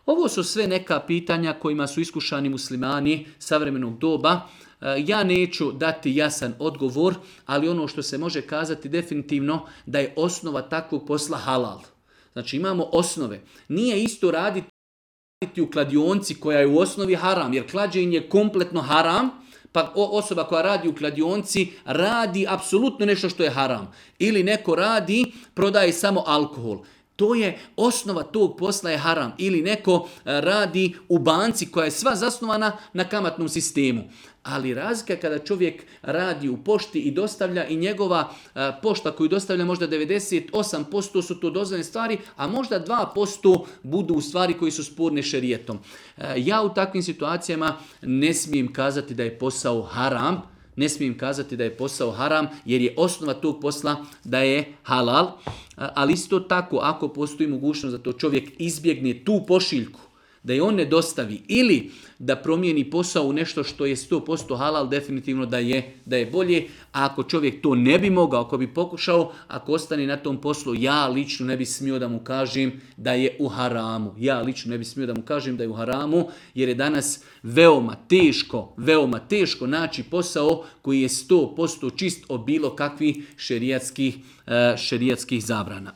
Ovo su sve neka pitanja kojima su iskušani muslimani savremenog doba. Ja neću dati jasan odgovor, ali ono što se može kazati definitivno da je osnova takvog posla halal. Znači imamo osnove. Nije isto raditi u kladionci koja je u osnovi haram, jer klađenje je kompletno haram, pa osoba koja radi u kladionci radi apsolutno nešto što je haram. Ili neko radi, prodaje samo alkohol. To je osnova tog posla je haram. Ili neko radi u banci koja je sva zasnovana na kamatnom sistemu. Ali razlika kada čovjek radi u pošti i dostavlja i njegova pošta koju dostavlja možda 98% su to dozvoljene stvari, a možda 2% budu u stvari koji su sporne šerijetom. Ja u takvim situacijama ne smijem kazati da je posao haram, jer je osnova tog posla da je halal, ali isto tako ako postoji mogućnost da to čovjek izbjegne tu pošiljku, da je on ne dostavi ili da promijeni posao u nešto što je 100% halal, definitivno da je bolje. A ako čovjek to ne bi mogao, ako bi pokušao, ako ostane na tom poslu, ja lično ne bi smio da mu kažem da je u haramu. Jer je danas veoma teško naći posao koji je 100% čist od bilo kakvih šerijatskih zabrana.